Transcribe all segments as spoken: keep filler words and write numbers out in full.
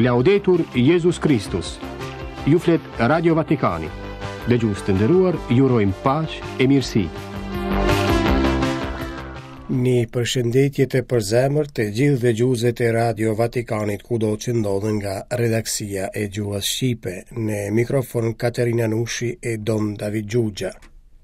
Laudetur Jezus Kristus. Ju flet Radio Vatikani. Dëgjues të nderuar, ju urojmë paqe e mirësi. Një përshëndetje të përzemërt të gjithë dëgjuesve të Radio Vatikanit kudo që ndodhen nga redaksia e gjuhës shqipe. Në mikrofon Katerina Nushi e Dom David Xhuxha.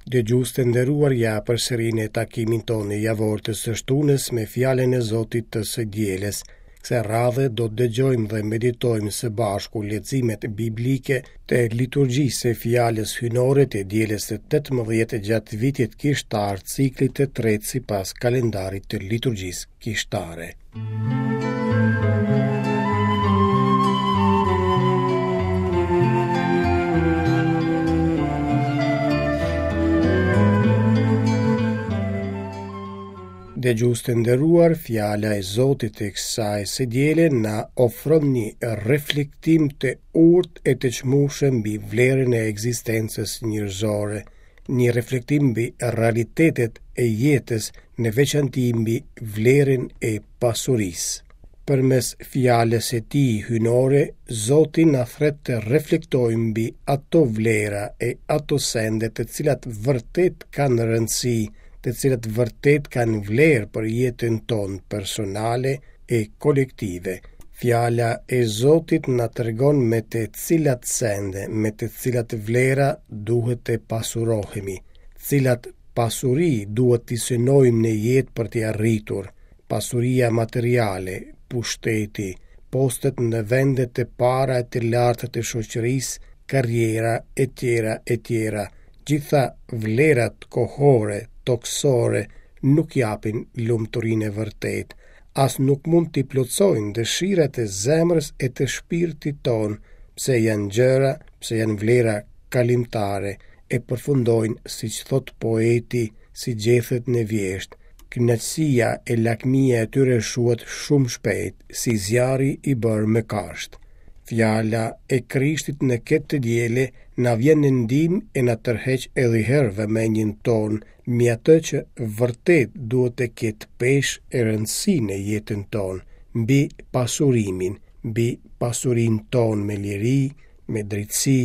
Dëgjues të nderuar, ja përsëri në takimin tonë javor të së shtunës me fjalën e Zotit të së dielës. Kësaj radhe do të dëgjojmë dhe meditojmë së bashku leximet biblike të liturgjisë së fjalës hyjnore të dielës së tetëmbëdhjetë gjatë vitit kishtar, ciklit të tretë sipas kalendarit të liturgjisë kishtare. Dëgjues të nderuar, fjala e Zotit të kësaj së diele na ofron një reflektim të urtë e të çmueshëm mbi vlerën e ekzistencës njerëzore, një reflektim mbi realitetet e jetës, në veçanti mbi vlerën e pasurisë. Përmes fjalës së tij hyjnore, Zoti na thret të reflektojmë mbi ato vlera e ato sende të cilat vërtet kanë rëndësi, të cilat vërtet kanë vlerë për jetën tonë personale e kolektive. Fjala e Zotit na tregon me të cilat sende, me të cilat vlera duhet të pasurohemi, cilat pasuri duhet t'i synojmë në jetë për t'i arritur, pasuria materiale, pushteti, postet në vendet e para e të larta të shoqërisë, karriera e tjera e tjera. Gjitha vlerat kohore, toksore, nuk japin lumturinë e vërtetë, as nuk mund t'i plotësojnë dëshirat e zemrës e të shpirtit tonë, pse janë gjëra, pse janë vlera kalimtare, e përfundojnë, siç thot poeti, si gjethet në vjeshtë. Kënaqësia e lakmia e tyre shuhet shumë shpejt, si zjarri i bërë me kashtë. Fjala e Krishtit në këtë të diele na vjen në ndihmë e na tërheq edhe herë vëmendjen tonë mbi atë që vërtet duhet të ketë peshë e rëndësi në jetën tonë, mbi pasurimin, mbi pasurinë tonë me liri, me drejtësi,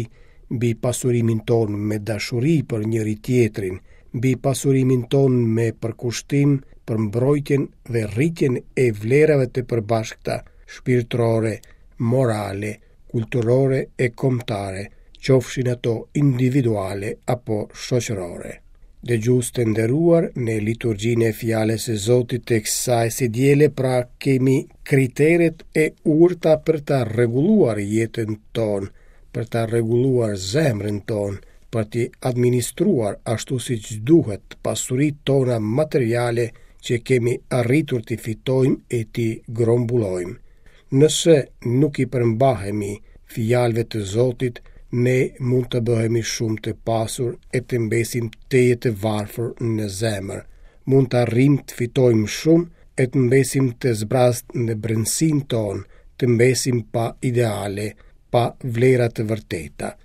mbi pasurimin tonë me dashuri për njëri tjetrin, mbi pasurimin tonë me përkushtim për mbrojtjen dhe rritjen e vlerave të përbashkëta, shpirtërore, morale, kulturore e kombëtare, qofshin ato individuale apo shoqërore. Dëgjues të nderuar, në liturgjinë e fjalës së Zotit të kësaj së diele pra kemi kriteret e urta për ta rregulluar jetën tonë, për ta rregulluar zemrën tonë, për t'i administruar ashtu siç duhet pasuritë tona materiale që kemi arritur t'i fitojmë e t'i grombullojmë. Nëse nuk i përmbahemi fjalëve të Zotit, ne mund të bëhemi shumë të pasur e të mbesim tejet të varfër në zemër. Mund të arrijmë të fitojmë shumë e të mbesim të zbrazët në brendësinë tonë, të mbesim pa ideale, pa vlera të vërteta.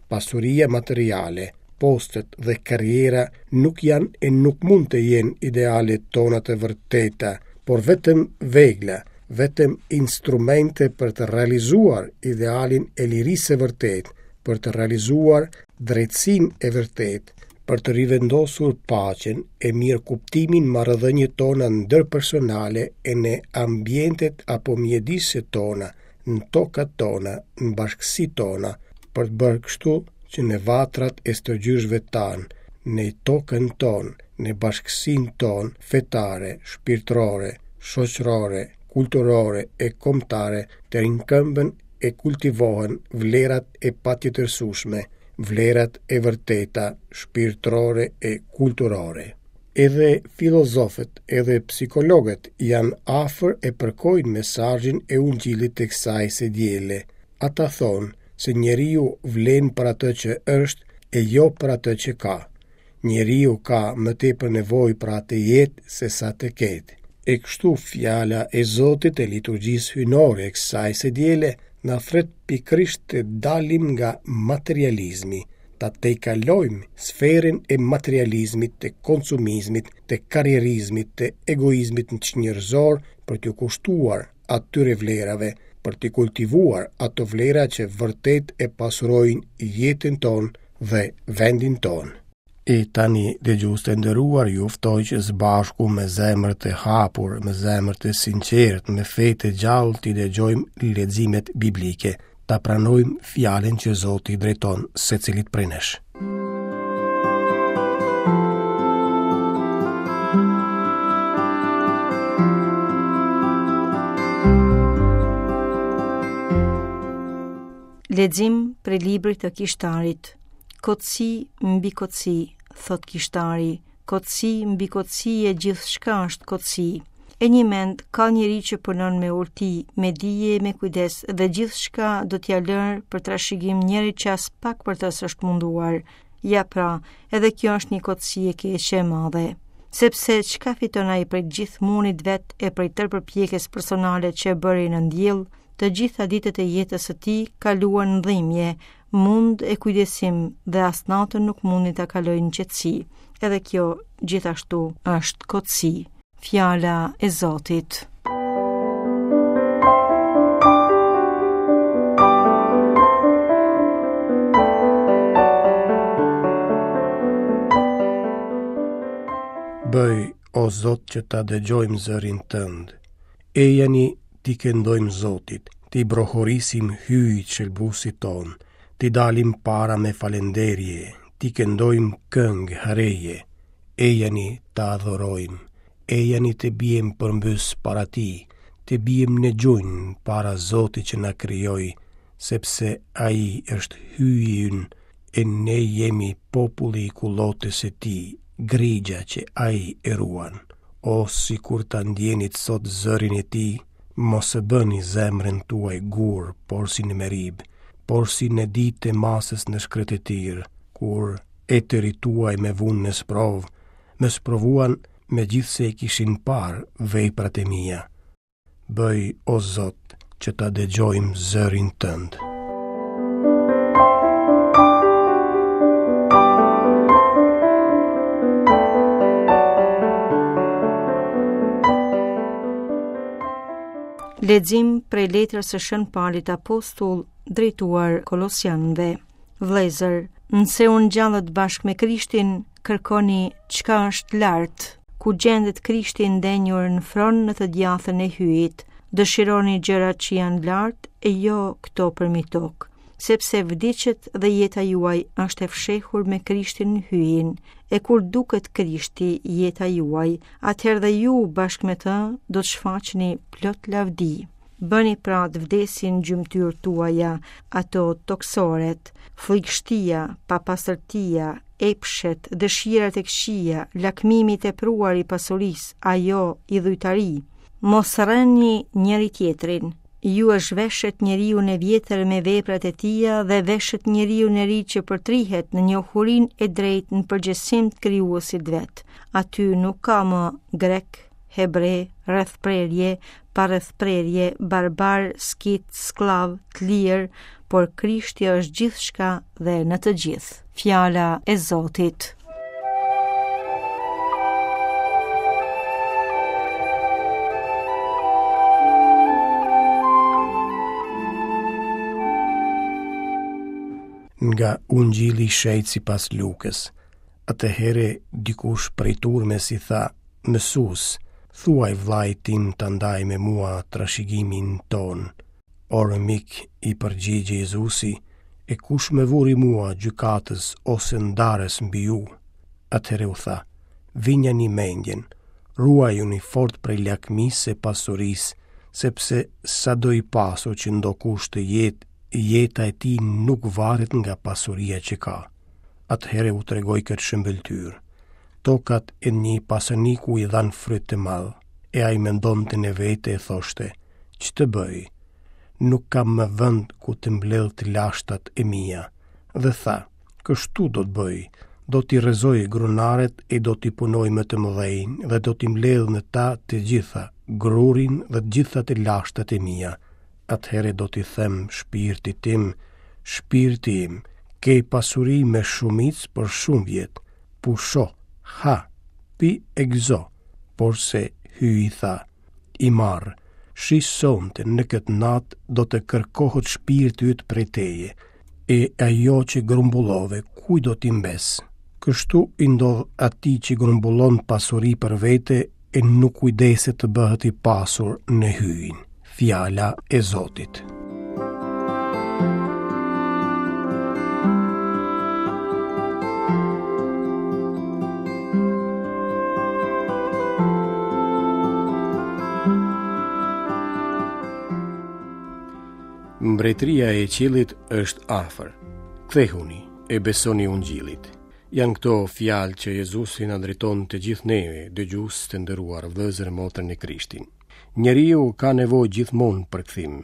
Pasuria materiale, postet dhe karriera nuk janë e nuk mund të jenë ideale tona të vërteta, por vetëm vegla, vetëm instrumente për të realizuar idealin e lirisë së vërtetë, për të realizuar drejtësinë e vërtetë, për të rivendosur paqen e mirëkuptimin marrëdhëniet tona ndërpersonale e në ambientet apo mjediset tona, në tokat tona, në bashkësitë tona, për të bërë kështu që në vatrat e stërgjyshëve tanë, në tokën tonë, në bashkësinë tonë fetare, shpirtërore, shoqërore, kulturore e kombëtare të rinkëmben e kultivohen vlerat e patjetërsueshme, vlerat e vërteta, shpirtërore e kulturore. Edhe filozofët, edhe psikologët janë afër e përkojnë mesazhin e ungjillit të kësaj së diele. Ata thonë se njeriu vlen për atë që është e jo për atë që ka. Njeriu ka më tepër nevojë për atë jetë se sa të ketë. E kështu fjala e Zotit e liturgjisë hyjnore e kësaj së diele na thret pikërisht të dalim nga materializmi, ta tejkalojmë sferën e materializmit, të konsumizmit, të karrierizmit, të egoizmit njerëzor për t'u kushtuar atyre vlerave, për t'i kultivuar ato vlera që vërtet e pasurojnë jetën tonë dhe vendin tonë. E tani, dëgjues të nderuar, ju ftoj që së bashku me zemër të hapur, me zemër të sinqertë, me fe të gjallë t'i dëgjojmë leximet biblike, ta pranojmë fjalën që Zoti drejton secilit prej nesh. Lexim prej librit të Kishtarit. Kotësi mbi kotësi, thot Kishtari, kotësi mbi kotësi e gjithçka është kotësi. E njëmend ka njeri që punon me urti, me dije e me kujdes dhe gjithçka do t'ia lërë për trashëgim njerit që aspak për të s'është munduar. Ja pra, edhe kjo është një kotësi e keqe e madhe. Sepse çka fiton ai prej gjithë mundit vet e prej tërë përpjekjes personale që e bëri në ndjell, të gjitha ditët e jetës së tij kaluan në dhimbje, mund e kujdesim dhe as natën nuk mundi ta kalojë në qetësi. Edhe kjo gjithashtu është kotësi. Fjala e Zotit. Bëj, o Zot, që ta dëgjojmë zërin tënd. Ejani t'i këndojmë Zotit, t'i brohorisim Hyjit shëlbuesit tonë, t'i dalim para me falenderje, t'i këndojmë këngë hareje. Ejani ta adhurojmë, ejani të biem përmbys para tij, të biem në gjunjë para Zotit që na krijoi, sepse Ai është Hyji ynë, e ne jemi populli i kullotës së tij, grigja që Ai e ruan. O, sikur ta ndjenit sot zërin e tij, mos e bëni zemrën tuaj gur, por si në Merib, por si në ditë të masës në shkretëtirë, kur etërit tuaj me vunë në sprovë, më sprovuan megjithëse i kishin parë veprat e mia. Bëj, o Zot, që ta dëgjojmë zërin tënd. Lexim prej letrës së Shën Palit Apostull drejtuar Kolosianëve. Vëllezër, nëse u ngjallët bashkë me Krishtin, kërkoni çka është lart, ku gjendet Krishti ndenjur në fron në të djathën e Hyjit. Dëshironi gjërat që janë lart e jo këto përmi tokë, sepse vdiqët dhe jeta juaj është e fshehur me Krishtin në Hyjin. E kur duket Krishti, jeta juaj, atëherë dhe ju bashkë me të do të shfaqeni plot lavdi. Bëni pra të vdesin gjymtyrë tuaja, ato toksoret, frikështia, papastërtia, epshet, dëshirat e këqija, lakmimi i tepruar i pasurisë, ajo idhujtari. Mos rreni njëri tjetrin. Ju e zhveshet njeriun e vjetër me veprat e tija dhe veshet njeriun e ri që përtrihet në njohurinë e drejtë në përgjithësim të krijuesit vet. Aty nuk ka më grek, hebre, rrethprerje, pa rrethprerje, barbar, skit, skllav, të lirë, por Krishti është gjithçka dhe në të gjithë. Fjala e Zotit. Nga Ungjilli i Shenjtë sipas Lukës. Atëherë dikush prej turmës i tha: Mësues, thuaj vllait tim ta ndaj me mua trashëgimin tonë. Or mik, i përgjigj Jezusi, e kush më vuri mua gjykatës ose ndarës mbi ju? Atëherë u tha: Vinjani mendjen, ruajuni fort prej lakmisë së pasurisë, sepse sado i pasur që ndokush të jetë, jeta e tij nuk varet nga pasuria që ka. Atëherë u tregoi këtë shëmbëlltyrë. Tokat e një pasaniku i dhanë fryt të madh, e ai mendonte në vete e thoshte: Ç'të bëj? Nuk kam më vend ku të mbledh të lashtat e mia. Dhe tha: Kështu do të bëj, do t'i rrëzoj grunaret e do t'i punoj më të mëdhenj dhe do t'i mbledh në ta të gjitha, grurin dhe të gjitha të lashtat e mia. Atëherë do t'i them shpirtit tim: Shpirti im, ke pasuri me shumicë për shumë vjet, pusho, ha, pi e gëzo. Porse Hyji tha: I marr, Shi sonte në këtë natë do të kërkohet shpirti yt prej teje, e ajo që grumbullove, kujt do t'i mbesë? Kështu i ndodh atij që grumbullon pasuri për vete e nuk kujdeset të bëhet i pasur në Hyjin. Fjala e Zotit. Mbretëria e qiellit është afër. Kthehuni e besoni ungjillit. Janë këto fjalë që Jezusi na drejton të gjithë neve, dëgjues të nderuar, vëllezër e motra në Krishtin. Njeriu ka nevojë gjithmonë për kthim.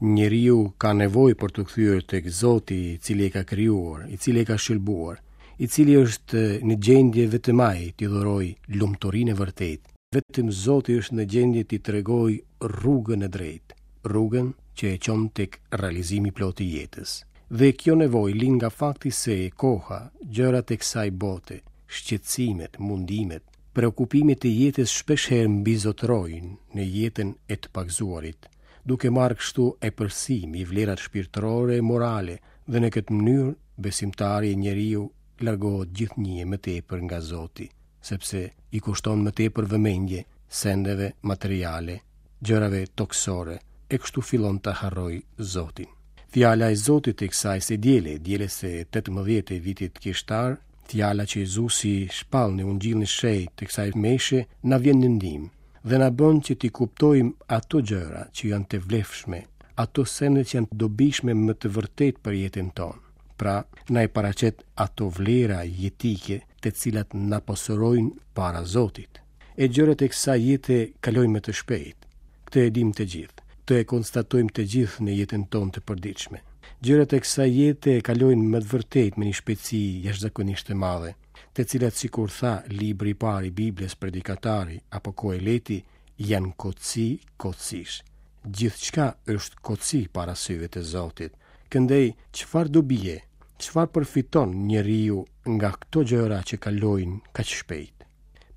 Njeriu ka nevojë për t'u kthyer tek Zoti, i cili e ka krijuar, i cili e ka shëlbuar, i cili është në gjendje vetëm ai t'i dhurojë lumturinë e vërtetë. Vetëm Zoti është në gjendje t'i tregojë rrugën e drejtë, rrugën që e çon tek realizimi i plotë i jetës. Dhe kjo nevojë lind nga fakti se koha, gjërat e kësaj bote, shqetësimet, mundimet, preokupimet e jetës shpeshherë mbizotërojnë në jetën e të pagëzuarit, duke marrë kështu epërsi mbi vlerat shpirtërore e morale, dhe në këtë mënyrë besimtari e njeriu largohet gjithnjë e më tepër nga Zoti, sepse i kushton më tepër vëmendje sendeve materiale, gjërave tokësore, e kështu fillon të harrojë Zotin. Fjala e Zotit të kësaj së diele, dielës së tetëmbëdhjetë e vitit kishtar, fjala që Jezusi shpall në Ungjillin e Shenjtë të kësaj meshe, na vjen në ndihmë dhe na bën që t'i kuptojmë ato gjëra që janë të vlefshme, ato sende që janë të dobishme më të vërtetë për jetën tonë. Pra, na i paraqet ato vlera jetike të cilat na pasurojnë para Zotit. E gjërat e kësaj jete kalojnë më të shpejtë. Këtë e dim të gjithë. Këtë e konstatojmë të gjithë në jetën tonë të përditshme. Gjërat e kësaj jete kalojnë me të vërtetë me një shpejtësi jashtëzakonisht të madhe, të cilat sikur tha libri i parë i Biblës Predikatari apo Koheleti, janë kotësi kotësish. Gjithçka është kotësi para syve të Zotit. Këndej, çfarë dobie, çfarë përfiton njeriu nga këto gjëra që kalojnë kaq shpejt?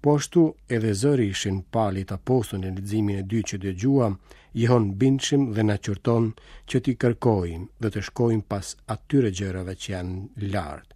Po ashtu edhe zëri i Shën Palit Apostull në leximin e dytë që dëgjuam, jehon bindshëm dhe na qorton që t'i kërkojmë dhe të shkojmë pas atyre gjërave që janë lart,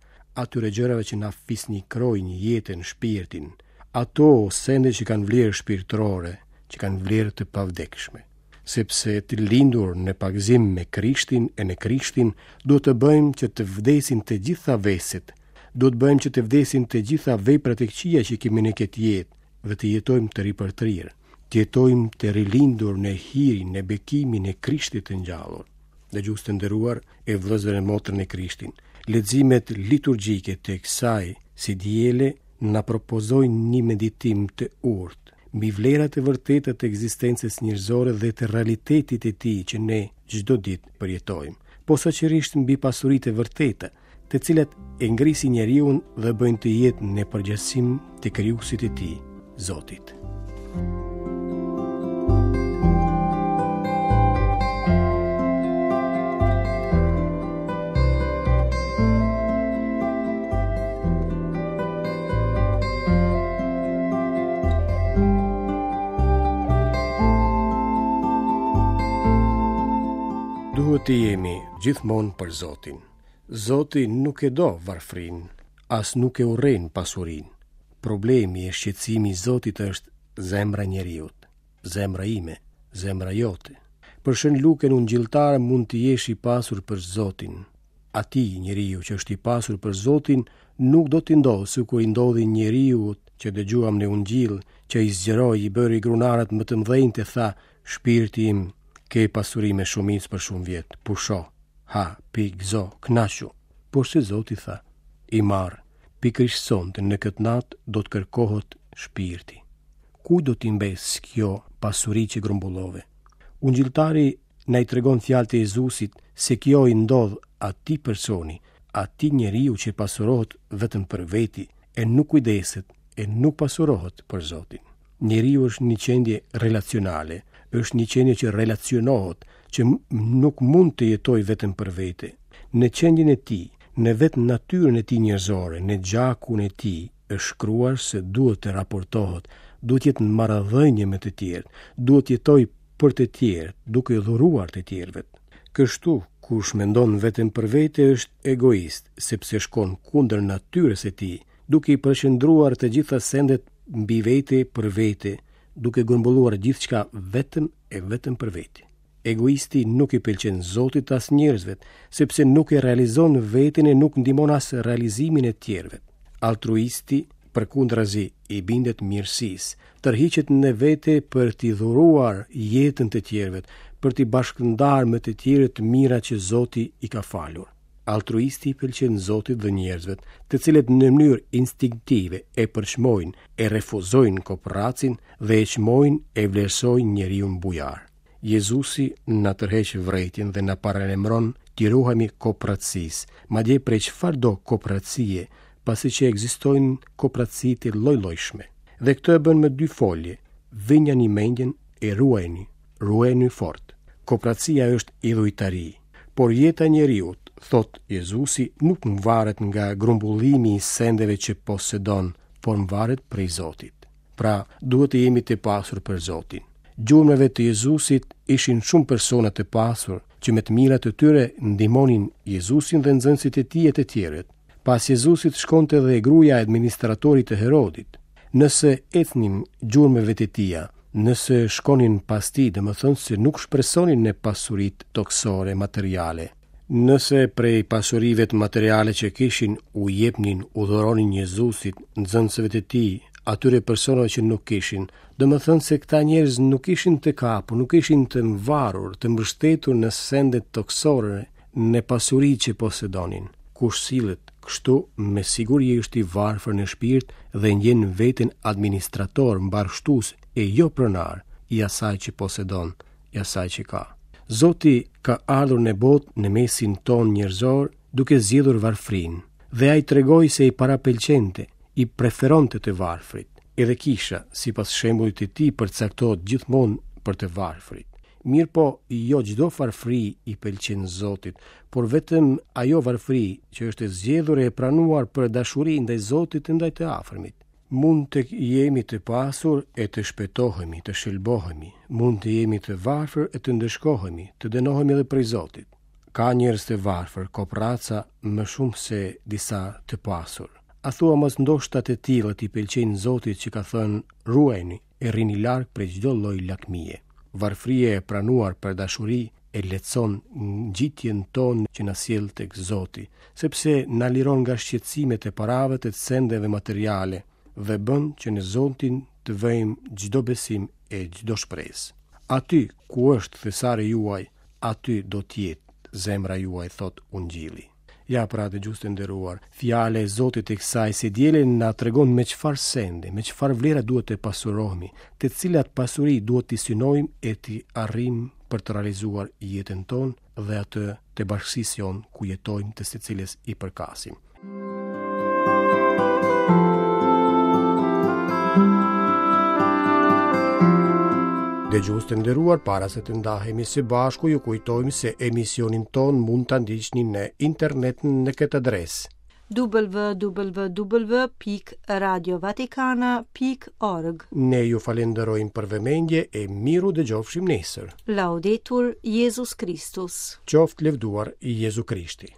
atyre gjërave që na fisnikrojnë jetën, shpirtin, ato sende që kanë vlerë shpirtërore, që kanë vlerë të pavdekshme. Sepse të lindur në pagëzim me Krishtin e në Krishtin, duhet të bëjmë që të vdesin të gjitha veset, duhet të bëjmë që të vdesin të gjitha veprat e këqija që kemi në këtë jetë dhe të jetojmë të ripërtrirë, të jetojmë të rilindur në hirin, në bekimin e Krishtit të ngjallur. Dëgjues të nderuar e vëllezër e motra në Krishtin, leximet liturgjike të kësaj si diele na propozojnë një meditim të urtë mbi vlerat e vërteta të ekzistencës njerëzore dhe të realitetit të tij që ne çdo ditë përjetojmë, posaçërisht mbi pasuritë e vërteta, të cilat e ngrisin njeriun dhe bëjnë të jetë në përgjegjësim të krijuesit të tij, Zotit. Duhet të jemi gjithmonë për Zotin. Zoti nuk e do varfrinë, as nuk e urren pasurinë. Problemi e shqetësimi i Zotit është zemra e njeriut, zemra ime, zemra jote. Për Shën Lukën ungjilltar mund të jesh i pasur për Zotin. Atij njeriu që është i pasur për Zotin nuk do t'i ndodhë sikur i ndodhi njeriut që dëgjuam në ungjill, që i zgjeroi, i bëri grunarët më të mëdhenj të tha, shpirti im, ke pasuri me shumicë për shumë vjet, pusho, ha, pi, gëzo, kënaqu. Porse Zoti tha, i marr, pikërisht sonte në këtë natë do të kërkohet shpirti. Ku do t'i mbes kjo pasuri që grumbullove? Ungjilltari na i tregon fjalët e Jezusit se kjo i ndodh atij personi, atij njeriu që pasurohet vetëm për veti e nuk kujdeset e nuk pasurohet për Zotin. Njeriu është një qenie relacionale, është një qenie që relacionohet, që nuk mund të jetojë vetëm për vete. Në qenien e tij, në vetë natyrën e tij njerëzore, në gjakun e tij, është shkruar se duhet të raportohet, duhet të jetë në marrëdhënie me të tjerë, duhet të jetojë për të tjerët, duke dhuruar të tjerëve. Kështu, kush mendon vetëm për vete është egoist, sepse shkon kundër natyrës së tij, duke i përqendruar të gjitha sendet mbi vete për vete, duke grumbulluar gjithçka vetëm e vetëm për vete. Egoisti nuk i pëlqen Zotit as njerëzve, sepse nuk e realizon veten e nuk ndihmon as realizimin e tjerëve. Altruisti, përkundrazi, i bindet mirësisë, tërhiqet në vete për t'i dhuruar jetën të tjerëve, për t'i bashkëndarë me të tjerët të mira që Zoti i ka falur. Altruisti i pëlqen Zotit dhe njerëzve, të cilët në mënyrë instinktive e përçmojnë, e refuzojnë koprracin dhe e çmojnë e vlerësojnë njeriun bujar. Jezusi na tërheq vërejtjen dhe na paralajmëron t'i ruhemi koprracisë, madje prej çfarëdo koprracie, pasi që ekzistojnë koprraci të lloj-llojshme. Dhe këtë e bën me dy folje: vinjani mendjen e ruajeni, ruajeni fort. Koprracia është idhujtari, por jeta e njeriut, thot Jezusi, nuk mvaret nga grumbullimi i sendeve që posedon, por mvaret prej Zotit. Pra, duhet të jemi të pasur për Zotin. Gjurmëve të Jezusit ishin shumë persona të pasur që me të mirat e tyre ndihmonin Jezusin dhe nxënësit e tij e të tjerët. Pas Jezusit shkonte edhe gruaja e administratorit të Herodit. Nëse ecnin gjurmëve të tija, nëse shkonin pas tij, domethënë se nuk shpresonin në pasuritë toksore materiale. Nëse prej pasurive të materiale që kishin u jepnin, u dhuronin Jezusit, nxënësve të tij, atyre personave që nuk kishin, domethënë se këta njerëz nuk ishin të kapur, nuk ishin të mvarur, të mbështetur në sendet toksore, në pasuri që posedonin. Kush sillet kështu, me siguri është i varfër në shpirt dhe ndjen veten administrator, mbarështues e jo pronar i asaj që posedon, i asaj që ka. Zoti ka ardhur në botë në mesin ton njerëzor duke zgjedhur varfrinë, dhe ai tregoi se i parapëlqente, i preferonte të varfrit. Edhe kisha, sipas shembullit të tij, përcaktohet gjithmonë për të varfrit. Mirë po, jo çdo varfri i pëlqen Zotit, por vetëm ajo varfri që është e zgjedhur e pranuar për dashuri ndaj Zotit e ndaj të afërmit. Mund të jemi të pasur e të shpëtohemi, të shëlbohemi, mund të jemi të varfër e të ndëshkohemi, të dënohemi edhe prej Zotit. Ka njerëz të varfër, koprraca më shumë se disa të pasur. A thua mos ndoshta të tillët i pëlqejnë Zotit që ka thënë ruajeni e rrini larg prej çdo lloj lakmie. Varfëria e pranuar për dashuri e lehtëson ngjitjen tonë që na sjell tek Zoti, sepse na liron nga shqetësimet e parave të sendeve materiale dhe bën që në Zotin të vëjmë çdo besim e çdo shpresë. Aty ku është thesari juaj, aty do të jetë zemra juaj, thot Ungjilli. Ja pra, dëgjues të nderuar, fjala e Zotit e kësaj së diele na tregon me çfarë sende, me çfarë vlera duhet të pasurohemi, të cilat pasuri duhet t'i synojmë e t'i arrijmë për të realizuar jetën tonë dhe atë të bashkësisë jonë ku jetojmë, të së cilës i përkasim. Dëgjues të nderuar, para se të ndahemi së bashku, ju kujtojmë se emisionin ton mund ta ndiqni në internet në këtë adresë: w w w pikë radio vatikana pikë org. Ne ju falenderojmë për vëmendje e miru dëgjofshim nesër. Laudetur Jezus Kristus. Qoftë lëvduar Jezu Krishti.